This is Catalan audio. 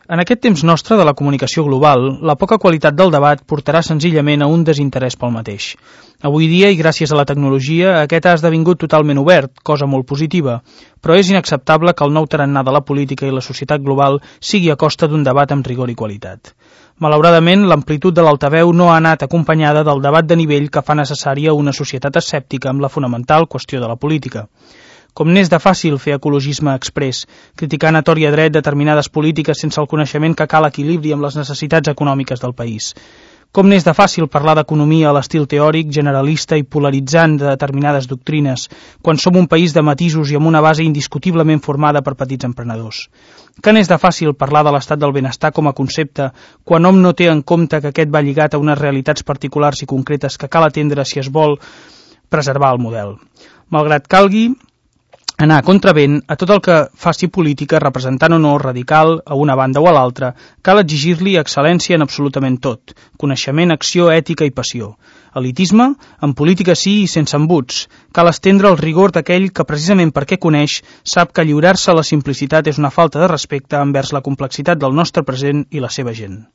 En aquest temps nostre de la comunicació global, la poca qualitat del debat portarà senzillament a un desinterès pel mateix. Avui dia, i gràcies a la tecnologia, aquest ha esdevingut totalment obert, cosa molt positiva, però és inacceptable que el nou tarannà de la política i la societat global sigui a costa d'un debat amb rigor i qualitat. Malauradament, l'amplitud de l'altaveu no ha anat acompanyada del debat de nivell que fa necessària una societat escèptica amb la fonamental qüestió de la política. Com n'és de fàcil fer ecologisme exprés, criticant a tort i a dret determinades polítiques sense el coneixement que cal equilibri amb les necessitats econòmiques del país. Com n'és de fàcil parlar d'economia a l'estil teòric, generalista i polaritzant de determinades doctrines, quan som un país de matisos i amb una base indiscutiblement formada per petits emprenedors. Que n'és de fàcil parlar de l'estat del benestar com a concepte, quan hom no té en compte que aquest va lligat a unes realitats particulars i concretes que cal atendre si es vol preservar el model. Malgrat calgui anar a contravent a tot el que faci política, representant o no radical a una banda o a l'altra, cal exigir-li excel·lència en absolutament tot, coneixement, acció, ètica i passió. Elitisme, en política sí i sense embuts. Cal estendre el rigor d'aquell que precisament perquè coneix sap que lliurar-se a la simplicitat és una falta de respecte envers la complexitat del nostre present i la seva gent.